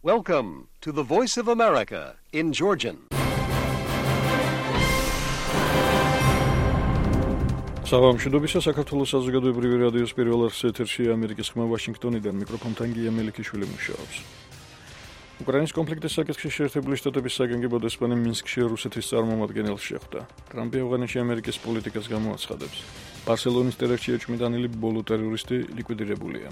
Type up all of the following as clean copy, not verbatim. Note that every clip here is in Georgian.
Welcome to the Voice of America in Georgian. Საღამოშიდობისა საქართველოს საზოგადოებრივი რადიოს პირველ არხის ეთერში ამერიკის ხმა ვაშინგტონიდან მიკროფონთან გია მელიქიშვილი მუშაობს. უკრაინის კონფლიქტის საკითხში შეერთებული შტატების საგანგებო დესპანი მინსკში რუსეთის წარმომადგენელს შეხვდა. ტრამპი ავღანეთში ამერიკის პოლიტიკას გამოაცხადებს. ბარსელონის ტერაქტში ეჭვმიტანილი ბოლო ტერორისტი ლიკვიდირებულია.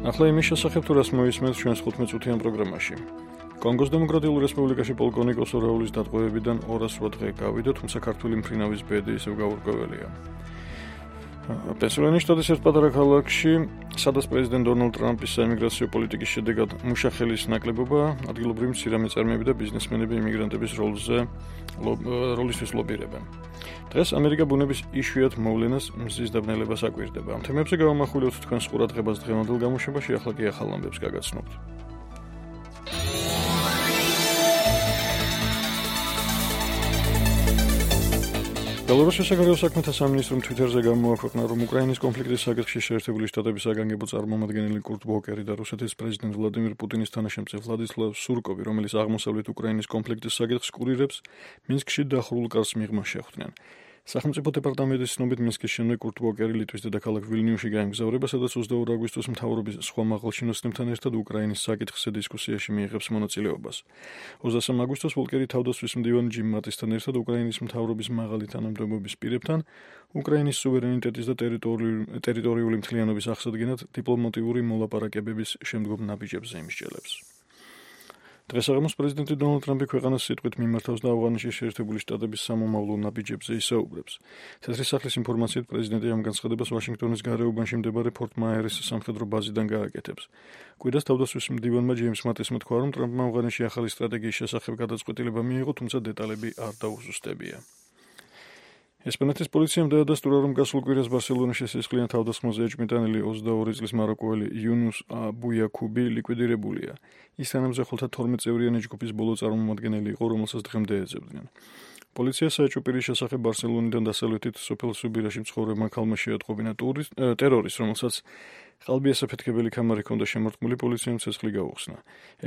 ახლა იმის შესახებ თუ რას მოისმენთ ჩვენს 15-წუთიან პროგრამაში. კონგოს დემოკრატიულ რესპუბლიკაში პოლკოვნიკოს ორაულის დატყვევებიდან 208 დღე გავიდა, თუმცა ქართული მფრინავის ბედი ისევ გაურკვეველია. პენსილვანიის შტატის ერთ პატარა ქალაქში, სადაც პრეზიდენტ დონალდ ტრამპის საიმიგრაციო პოლიტიკის შედეგად მუშახელის ნაკლებობა, ადგილობრივი მცირე-მეწარმეები და ბიზნესმენები იმიგრანტების როლისთვის ლობირებენ. დღეს ამერიკა ბუნების იშვიათ მოვლენას მზის დაბნელებას აკვირდება. ამ თემებზე გავამახვილებთ თქვენს ყურადღებას დღევანდელ გამოშვებაში, ახლა კი ახალ ამბებს გაგაცნობთ. ბელორუსის საგარეო საქმეთა სამინისტრომ თვიტერზე გამოაქვეყნა, რომ უკრაინის კონფლიქტის საკითხში შეერთებული შტატების საგანგებო წარმომადგენელი კურტ ვოკერი და რუსეთის პრეზიდენტ ვლადიმირ პუტინის თანაშემწე ვლადისლავ სურკოვი, რომელიც აღმოსავლეთ უკრაინის კონფლიქტის საკითხს კურირებს, მინსკში დახურულ კარს მიღმა შეხვდნენ. სახელმწიფო დეპარტამენტის ცნობით მინსკის შემდეგ კურტ ვოკერი ლიტვის დედაქალაქ ვილნიუსში გაემგზავრება, სადაც 22 აგვისტოს მთავრობის სხვა მაღალჩინოსნებთან ერთად უკრაინის საკითხზე დისკუსიაში მიიღებს მონაწილეობას. 23 აგვისტოს ვოლკერი თავდაცვის მდივანი ჯიმ მატისთან ერთად უკრაინის მთავრობის მაღალი თანამდებობის პირებთან უკრაინის სუვერენიტეტის და ტერიტორიული მთლიანობის აღსადგენად დიპლომატიური მოლაპარაკებების შემდგომ ნაბიჯებზე იმსჯელებს. დღესაღამოს პრეზიდენტი დონალდ ტრამპი ქვეყანას სიტყვით მიმართავს და ავღანეთში შეერთებული შტატების სამომავლო ნაბიჯებზე ისაუბრებს. თეთრი სახლის ინფორმაციით პრეზიდენტი ამ განცხადებას ვაშინგტონის გარეუბანში მდებარე ფორტ მაიერის სამხედრო ბაზიდან გააკეთებს. კვირას თავდაცვის მდივანმა ჯეიმს მატისმა თქვა, რომ ტრამპმა ავღანეთში ახალი სტრატეგიის შესახებ გადაწყვეტილება მიიღო, თუმცა დეტალები არ დაუზუსტებია. ესპანეთის პოლიციამ დაადასტურა, რომ გასულ კვირას ბარსელონაში სისხლიან თავდასხმაზე ეჭვმიტანილი 22 წლის მაროკოელი იუნუს აბუიაქუბი ლიკვიდირებულია. ის თანამზახველთა 12 წევრიანი ჯგუფის ბოლო წარმომადგენელი იყო, რომელსაც დღემდე ეძებდნენ. პოლიცია საეჭვო პირის შესახებ ბარსელონიდან დასავლეთით სოფელ სუბირაში მცხოვრებმა ქალმა შეატყობინა ტერორისტს, რომელსაც ყალბი ასაფეთქებელი ქამარი ჰქონდა შემორტყმული, პოლიციამ ცეცხლი გაუხსნა.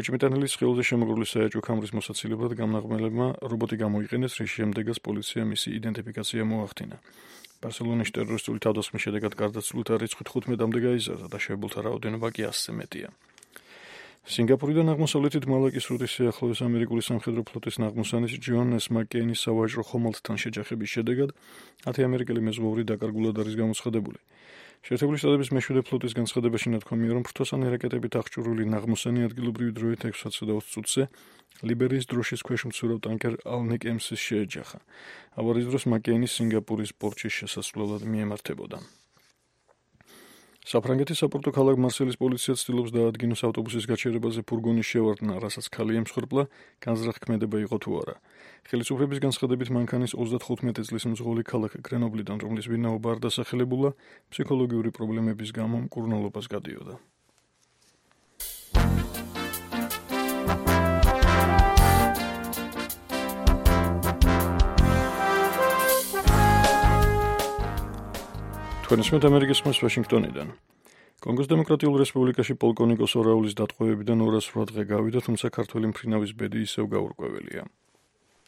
ეჭვმიტანილის სხეულზე შემოგრული საეჭვო ქამრის მოსაცილებლად გამნაღმელებმა რობოტი გამოიყენეს, რის შემდეგაც პოლიცია მისი იდენტიფიკაცია მოახდინა. ბარსელონის ტერორისტული თავდასხმის შედეგად გარდაცვლილთა რიცხვი 15-მდე გაიზარდა და შეებულთა რაოდენობა კი 100-ზე მეტია. სინგაპურიდან აღმოსავლეთით მალაკის სრუტის სიახლოვეს ამერიკული სამხედრო ფლოტის ნაღმოსანის ჯონ ეს მაკკეინის სავაჭრო ხომალდთან შეჯახების შედეგად 10 ამერიკელი მეზღვაური დაკარგულად არის გამოცხადებული. შეერთებული შტატების მეშვიდე ფლოტის განცხადებაში ნათქვამია, რომ ფრთოსანი რაკეტებით აღჭურვილი ნაღმოსანი ადგილობრივი დროით 6:20 წუთზე ლიბერიის დროშის ქვეშ მცურავ ტანკერ ალნიკ ემსის შეეჯახა. ავარიის დროს მაკკეინი სინგაპურის პორტში შესასვლელად მიემართებოდა. საფრანგეთის საპორტო ქალაქ მარსელის პოლიცია ცდილობს დაადგინოს ავტობუსის გაჩერებაზე ფურგონის შევარდნა, რასაც ქალი ემსხვერპლა, განზრახქმედება იყო თუ არა. ხელისუფლების განცხადებით მანქანის 35 წლის მძღოლი ქალაქ გრენობლიდან, რომლის ვინაობა არ დასახელებულა, ფსიქოლოგიური პრობლემების გამო მკურნალობას გადიოდა. თქვენისმეთ ამერიკის ხმას ვაშინგტონიდან. კონგოს დემოკრატიულ რესპუბლიკაში პოლკოვნიკოს ორაულის დატყვევებიდან 208 დღე გავიდა, თუმცა ქართველი მფრინავის ბედი ისევ გაურკვეველია.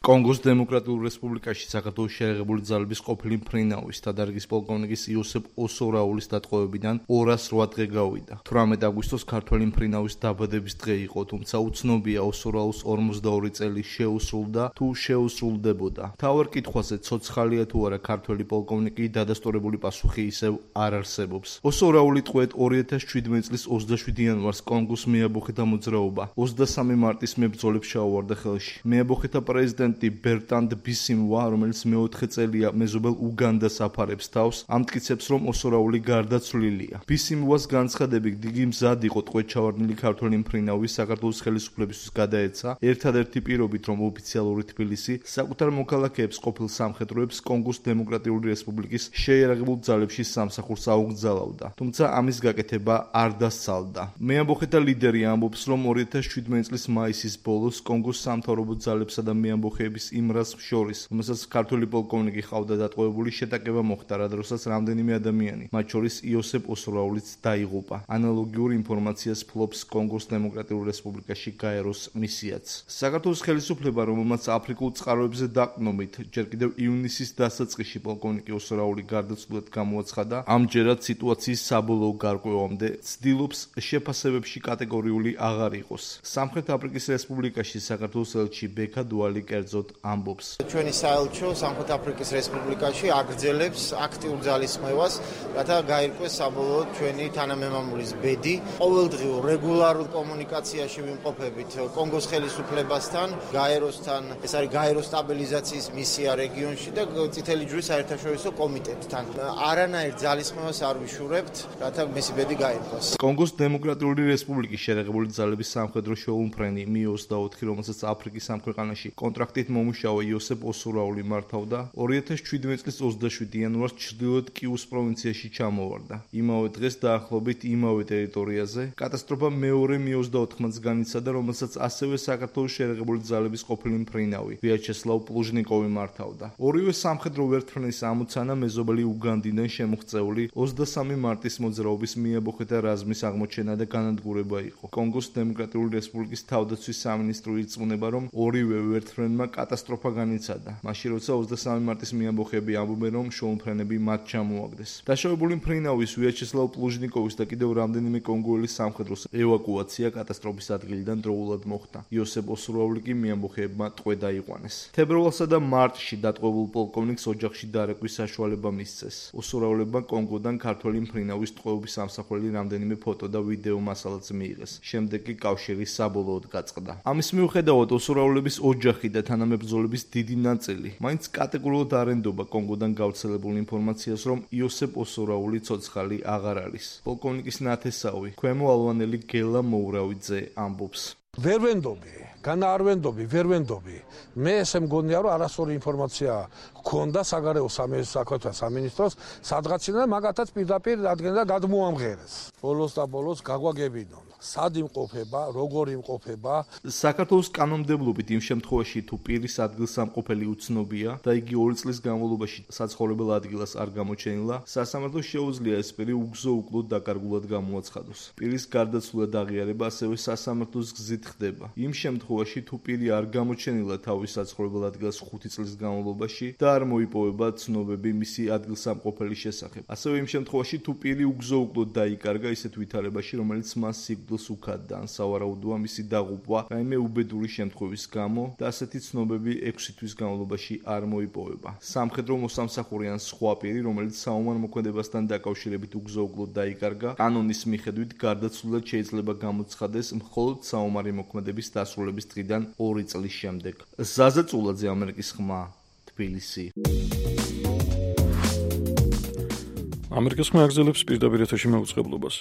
კონგოს დემოკრატიულ რესპუბლიკაში საქართველოს შეერთებული ძალების ყოფილი მფრინავის დადარგის პოლკოვნიკის იოსებ ოსორაულის დატყვევებიდან 208 დღე გავიდა. 18 აგვისტოს ქართველი მფრინავის დაბადების დღე იყო, თუმცა უცნობია ოსორაუს 42 წელი შეუსრულდა თუ შეუსრულდებოდა. თავარ კითხვაზე ცოცხალია თუ არა ქართველი პოლკოვნიკი დადასტურებული პასუხი ისევ არ არსებობს. ოსორაული ტყვედ 2017 წლის 27 იანვარს კონგოს მეაბოხეთა მოძრაობა 23 მარტის მებრძოლებს ჩაუვარდა ხელში. მეაბოხეთა პრეზიდენტი ბერტანდ ბისიმვა, რომელიც მეოთხე წელია მეზობელ უგანდას აფარებს თავს, ამტკიცებს, რომ ოსორაული გარდაცვლილია. ბისიმვას განცხადებით, იგი მზად იყო ტყვედ ჩავარდნილი ქართველი მფრინავი საქართველოს ხელისუფლებისთვის გადაეცა, ერთადერთი პირობით, რომ ოფიციალური თბილისი საკუთარ მოქალაქეებს ყოფილ სამხედროებს კონგოს დემოკრატიული რესპუბლიკის შეიარაღებულ ძალებში სამსახურს აუგზავნიდა. თუმცა ამის გაკეთება არ დასცალდა. მეამბოხეთა ლიდერი ამბობს, რომ 2017 წლის მაისის ბოლოს კონგოს სამთავრობო ძალებსა და მეამბოხეთა მიემბოხეების იმ რას შორის, რომელსაც ქართველი პოლკოვნიკი ყავდა დატყვევებული, შეტაკება მოხდა, რა დროსაც რამდენიმე ადამიანი, მათ შორის იოსებ ოსურაულიც დაიღუპა. ანალოგიურ ინფორმაციას ფლობს კონგოს დემოკრატიულ რესპუბლიკაში გაეროს მისიაც. საქართველოს ხელისუფლება, რომელმაც აფრიკულ წყაროებზე დაყრდნობით ჯერ კიდევ ივნისის დასაწყისში პოლკოვნიკი ოსურაული გარდაცვლილად გამოაცხადა, ამჯერად სიტუაციის საბოლოო გარკვევამდე ცდილობს შეფასებებში კატეგორიული აღარ იყოს. სამხრეთ აფრიკის რესპუბლიკაში საქართველოს ელჩი ბექა დუალი კერძოდ ამბობს. ჩვენი საელჩო სამხრეთ აფრიკის რესპუბლიკაში აგრძელებს აქტიურ ძალისხმევას, რათა გაირკვეს საბოლოოდ ჩვენი თანამემამულის ბედი. ყოველდღიურ რეგულარულ კომუნიკაციაში ვიმყოფებით კონგოს ხელისუფლებასთან, გაეროსთან, ეს არის გაეროს სტაბილიზაციის მისია რეგიონში და წითელი ჯვრის საერთაშორისო კომიტეტთან. არანაირ ძალისხმევას არ ვიშურებთ, რათა მისი ბედი გაირკვეს. კონგოს დემოკრატიული რესპუბლიკის შერეღებული ძალების სამხედრო შეუმფრენი Mi-24, რომელსაც აფრიკის ამ ქვეყანაში კონტრაქტით მომუშავე იოსებ ოსურაული მართავდა, 2017 წლის 27 იანვარს ჩრდილოეთ კიუს პროვინციაში ჩამოვარდა. იმავე დღეს დაახლოებით იმავე ტერიტორიაზე კატასტროფა მეორე Mi-24-მაც განიცადა, რომელსაც ასევე საქართველოს შერეღებული ძალების ყოფილი მფრინავი ვიაჩესლავ პლუჟნიკოვი მართავდა. ორივე სამხედრო ვერტმფრენის ამოცანა მეზობელი უგანდიდან შემოღწეული 23 მარტის მოძრაობის მიემბოხეთა რაზმის აღმოჩენა და განადგურება იყო. კონგოს დემოკრატიული რესპუბლიკის თავდაცვის სამინისტრო ირწმუნება, რომ ორივე ვერტმფრენმა კატასტროფა განიცადა. მაშინ როცა 23 მარტის მიემბოხეები ამბობენ, რომ შოუმფრენები მათ ჩამოაგდეს. დაშავებული მფრინავის ვიაჩესლავ პლუჟნიკოვის და კიდევ რამდენიმე კონგოელის სამხედროს ევაკუაცია კატასტროფის ადგილიდან დროულად მოხდა. იოსებ ოსურაული კი მიემბოხეებმა ტყვე დაიყვანეს. თებერვალსა და მარტში დატყვევულ პოლკოვნიკს ოჯახში დარეკვის საშუალება მისცეს. ოსურაულებმა კონგოდან ქართველი მფრინავის ტყვეობის ამსახველი რამდენიმე ფოტო და ვიდეო მასალაც მიიღეს. შემდეგ კი კავშირი საბოლოოდ გაწყდა. ამის მიუხედავად ოსურაულების ოჯახი და თანამებრძოლების დიდი ნაწილი მაინც კატეგორიულად არ ენდობა კონგოდან გავრცელებულ ინფორმაციას, რომ იოსებ ოსურაული ცოცხალი აღარ არის. პოლკოვნიკის ნათესავი, ქვემო ალვანელი გელა მოურავიძე ამბობს. ვერ ვენდობი, არ ვენდობი. მე ესე მგონია, რომ არასწორი ინფორმაცია გქონდა საგარეო საქმეთა სამინისტროს სადღაციდან მაგათაც პირდაპირ ადგენდა გადმოამღერეს. ბოლოს და ბოლოს გაგვაგებინონ. სად იმყოფება, როგორ იმყოფება. საქართველოს კანონმდებლობით იმ შემთხვევაში, თუ პირის ადგილსამყოფელი უცნობია და იგი 2 წლის განმავლობაში საცხოვრებელ ადგილას არ გამოჩენილა, სასამართლოს შეუძლია ეს პირი უგზო-უკლოდ დაკარგულად გამოაცხადოს. პირის გარდაცვლა და აღიარება ასევე სასამართლოს გზით ხდება. იმ შემთხვევაში, თუ პირი არ გამოჩენილა თავის საცხოვრებელ ადგილას 5 წლის განმავლობაში და არ მოიპოვება ცნობები მისი ადგილსამყოფელის შესახებ. ასევე იმ შემთხვევაში, თუ პირი უგზო-უკლოდ დაიკარგა ისეთ ვითარებაში, რომელიც მას სიკვდილს უქადდა, ან სავარაუდოა მისი დაღუპვა რაიმე უბედური შემთხვევის გამო და ასეთი ცნობები 6 თვის განმავლობაში არ მოიპოვება. სამხედრო მოსამსახური ან სხვა პირი, რომელიც საომარ მოქმედებასთან დაკავშირებით უგზო-უკლოდ დაიკარგა, კანონის მიხედვით გარდაცვლილად შეიძლება გამოცხადეს მხოლოდ საომარი მოქმედების დასრულების დღიდან 2 წლის შემდეგ. ზაზა წულაძე, ამერიკის ხმა, თბილისი. ამერიკის ხმა აგრძელებს პირდაპირ ეთერში მაუწყებლობას.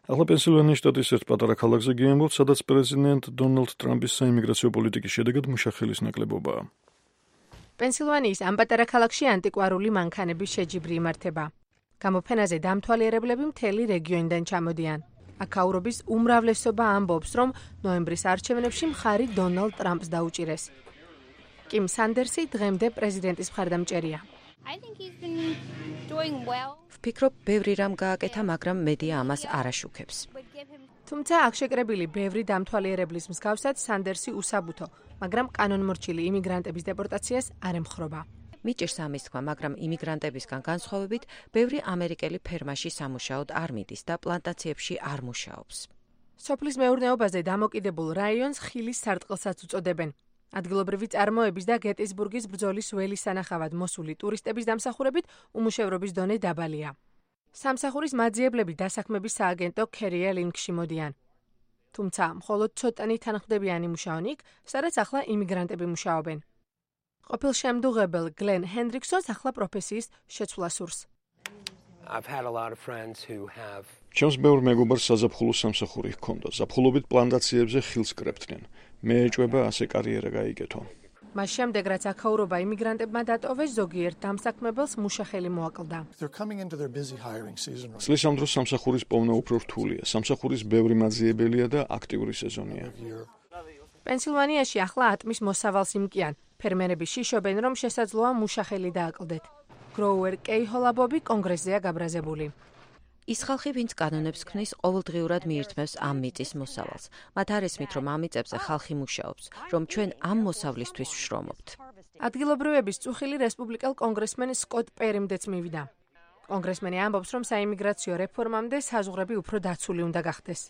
ახლა პენსილვანიის შტატის ერთ პატარა ქალაქზე გიემბოთ, სადაც პრეზიდენტ დონალდ ტრამპის საიმიგრაციო პოლიტიკის შედეგად მუშახელის ნაკლებობაა. პენსილვანიის ამ პატარა ქალაქში ანტიკვარული მანქანების შეჯიბრი იმართება. გამოფენაზე დამთვალიერებლები მთელი რეგიონიდან ჩამოდიან. აქაურობის უმრავლესობა ამბობს, რომ ნოემბრის არჩევნებში მხარი დონალდ ტრამპს დაუჭირეს. კიმ სანდერსი დღემდე პრეზიდენტის მხარდამჭერია. ვფიქრობ, ბევრი რამ გააკეთა, მაგრამ მედია ამას არ აშუქებს. თუმცა აქ შეკრებილი ბევრი დამთვალიერებლის მსგავსად სანდერსი უსაბუთო, მაგრამ კანონმორჩილი იმიგრანტების დეპორტაციას არ ემხრობა. მიჭირს ამის თქვა, მაგრამ იმიგრანტებისგან განსხვავებით, ბევრი ამერიკელი ფერმაში სამუშაოდ არ მიდის და პლანტაციებში არ მუშაობს. სოფლის მეურნეობაზე დამოკიდებულ რაიონს ხილის სარტყელსაც უწოდებენ. ადგილობრივი წარმოების და გეტისბურგის ბრძოლის ველის სანახავად მოსული ტურისტების დამსახურებით უმუშევრობის დონე დაბალია. სამსახურის მაძიებლები დასაქმების სააგენტო ქერია ლინკში მოდიან. თუმცა მხოლოდ ცოტანი თანხმდებიანი მუშაობენ იქ, სადაც ახლა იმიგრანტები მუშაობენ. ყოფილ შემდუღებელ გლენ ჰენდრიქსონს ახლა პროფესიის შეცვლა სურს. ჩემს ბევრ მეგობარს საზაფხულო სამსახური ჰქონდა. ზაფხულობით პლანტაციებზე ხილს კრებდნენ. მე ეჭვება ასე კარიერა გაიგეთო. მას შემდეგ, რაც აქაურობა იმიგრანტებმა დატოვეს, ზოგიერთ დამსაქმებელს მუშახელი მოაკლდა. წლის ამ დროს სამსახურის პოვნა უფრო რთულია. სამსახურის ბევრი მაძიებელია და აქტიური სეზონია. პენსილვანიაში ახლა ატმის მოსავალს იმკიან. ფერმერები შიშობენ, რომ შესაძლოა მუშახელი დააკლდეთ. გროუერ კეიჰოლაბობი კონგრესზეა გაბრაზებული. ის ხალხი, ვინც კანონებს ქმნის, ყოველდღიურად მიირთმევს ამ მიწის მოსავალს. მათ არ ესმით, რომ ამ მიწებზე ხალხი მუშაობს, რომ ჩვენ ამ მოსავლისთვის ვშრომობთ. ადგილობრივების წუხილი რესპუბლიკელ კონგრესმენ სკოტ პერიმდეც მივიდა. კონგრესმენი ამბობს, რომ საიმიგრაციო რეფორმამდე საზღვრები უფრო დაცული უნდა გახდეს.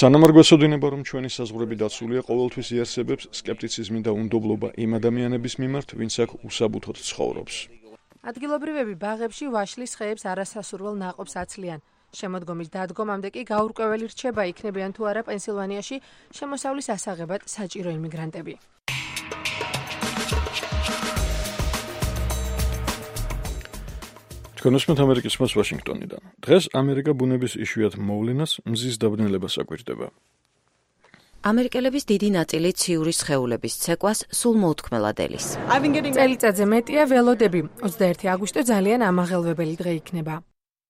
სანამ არ გვეცოდინება, რომ ჩვენი საზღვრები დაცულია, ყოველთვის იარსებებს სკეპტიციზმი და უნდობლობა იმ ადამიანების მიმართ, ვინც აქ უსაბუთოდ ცხოვრობს. ადგილობრივები ბაღებში ვაშლის ხეებს არასასურველ ნაყოფს აცლიან. შემოდგომის დადგომამდე კი გაურკვეველი რჩება, იქნებიან თუ არა პენსილვანიაში შემოსავლის ასაღებად საჭირო იმიგრანტები. თქვენოსმეთ ამერიკის მას ვაშინგტონიდან. დღეს ამერიკა ბუნების იშვიათ მოვლენას მზის დაბნელებას აკვირდება. ამერიკელების დიდი ნაწილი ციური სხეულების ცეკვას სულ მოუთქმელად ელის. წელიწადზე მეტია ველოდები. 21 აგვისტო ძალიან ამაღელვებელი დღე იქნება.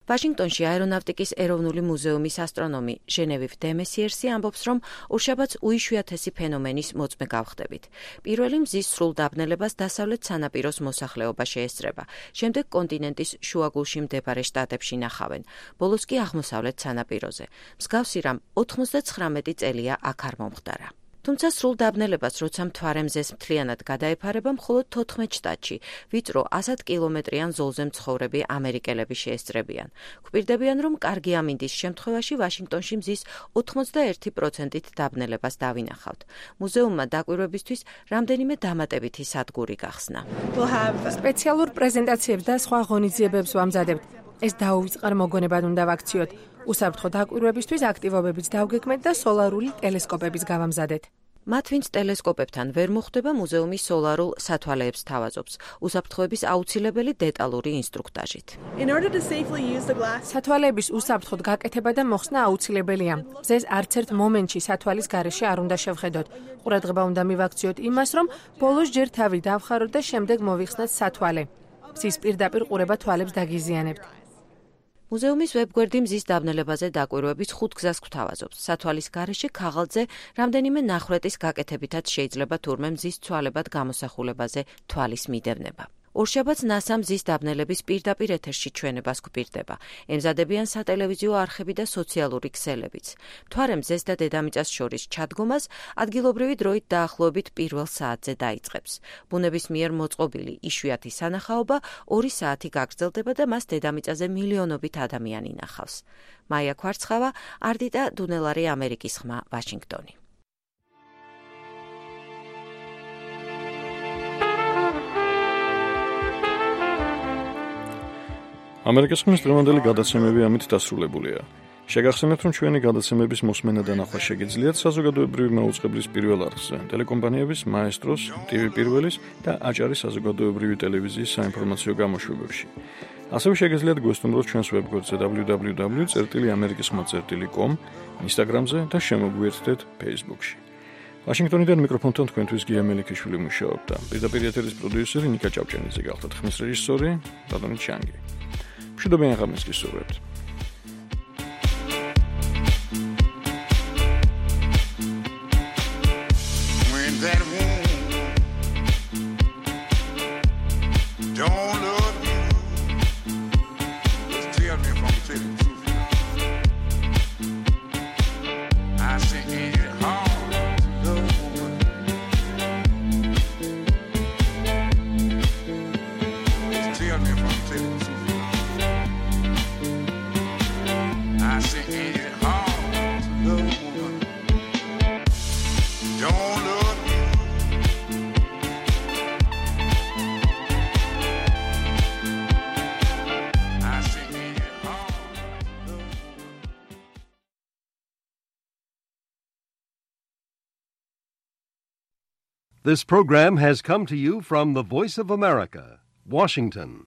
ვაშინგტონში აერონავტიკის ეროვნული მუზეუმის ასტრონომი ჟენევივ დემესიერსი ამბობს, რომ ორშაბათს უიშვიათესი ფენომენის მოწმე გავხდებით. პირველი მზის სრულ დაბნელებას დასავლეთ სანაპიროს მოსახლეობა შეესწრება. შემდეგ კონტინენტის შუაგულში მდებარე შტატებში ნახავენ. ბოლოს კი აღმოსავლეთ სანაპიროზე. მსგავსი რამ 99 წელია აქ არ მომხდარა. თუმცა სრულ დაბნელებას, როცა მთვარე მზეს მთლიანად გადაეფარება, მხოლოდ 14 შტატში, ვიწრო 100 კილომეტრიან ზოლზე მცხოვრები ამერიკელები შეესწრებიან. გვპირდებიან, რომ კარგი ამინდის შემთხვევაში ვაშინგტონში მზის 81%-ით დაბნელებას დავინახავთ. მუზეუმმა დაკვირვებისთვის რამდენიმე დამატებითი სადგური გახსნა. სპეციალურ პრეზენტაციებს და სხვა ღონისძიებებს ვამზადებთ. ეს დაუვიწყარ მოგონებად უნდა ვაქციოთ. უსაფრთხო დაკვირვებისთვის აქტივობებიც დავგეგმეთ და სოლარული ტელესკოპების გავამზადეთ. მათ, ვინც ტელესკოპებთან ვერ მოხვდება, მუზეუმი სოლარულ სათვალეებს თავაზობს, უსაფრთხოების აუცილებელი დეტალური ინსტრუქტაჟით. სათვალეების უსაფრთხოდ გაკეთება და მოხსნა აუცილებელია. მზეს არც ერთ მომენტში სათვალის გარეშე არ უნდა შევხედოთ. ყურადღება უნდა მივაქციოთ იმას, რომ ბოლოს ჯერ თავი დავხაროთ და შემდეგ მოვიხსნათ სათვალე. მზის პირდაპირ ყურება თვალებს დაგიზიანებთ. მუზეუმის ვებგვერდი მზის დაბნელებაზე დაკვირვების 5 გზას გვთავაზობს. სათვალის გარეშე ქაღალდზე რამდენიმე ნახრეტის გაკეთებითაც შეიძლება თურმე მზის ცვალებად გამოსახულებაზე თვალის მიდევნება. ორშაბათს NASA მზის დაბნელების პირდაპირ ეთერში ჩვენებას გვპირდება. ემზადებიან სატელევიზიო არხები და სოციალური ქსელებიც. მთვარე მზეს და დედამიწას შორის ჩადგომას ადგილობრივი დროით დაახლოებით 1 საათზე დაიწყებს. ბუნების მიერ მოწყობილი იშვიათი სანახაობა 2 საათი გაგრძელდება და მას დედამიწაზე მილიონობით ადამიანი ნახავს. მაია ქვარცხავა, არდიტა დუნელარი, ამერიკის ხმა, ვაშინგტონი. ამერიკის ხმის დღევანდელი გადაცემები ამით დასრულებულია. შეგახსენებთ, რომ ჩვენი გადაცემების მოსმენა და ნახვა შეგიძლიათ საზოგადოებრივი მაუწყებლის პირველ არხზე, ტელეკომპანიების მაესტროს, TV პირველის და აჭარის საზოგადოებრივი ტელევიზიის საინფორმაციო გამოშვებებში. ასევე შეგიძლიათ გვესტუმროთ ჩვენს ვებგვერდზე www.amerikisxma.com, Instagram-ზე და შემოგვიერთდეთ Facebook-ში. ვაშინგტონიდან მიკროფონთან თქვენთვის გია მელიქიშვილი მუშაობდა. პირდაპირ ეთერის პროდიუსერი ნიკა ჭავჭანიძე გახლდათ, ხმის რეჟისორი ბატონი ჩანგი. მშვიდობიან ღამეს გისურვებთ. This program has come to you from the Voice of America, Washington.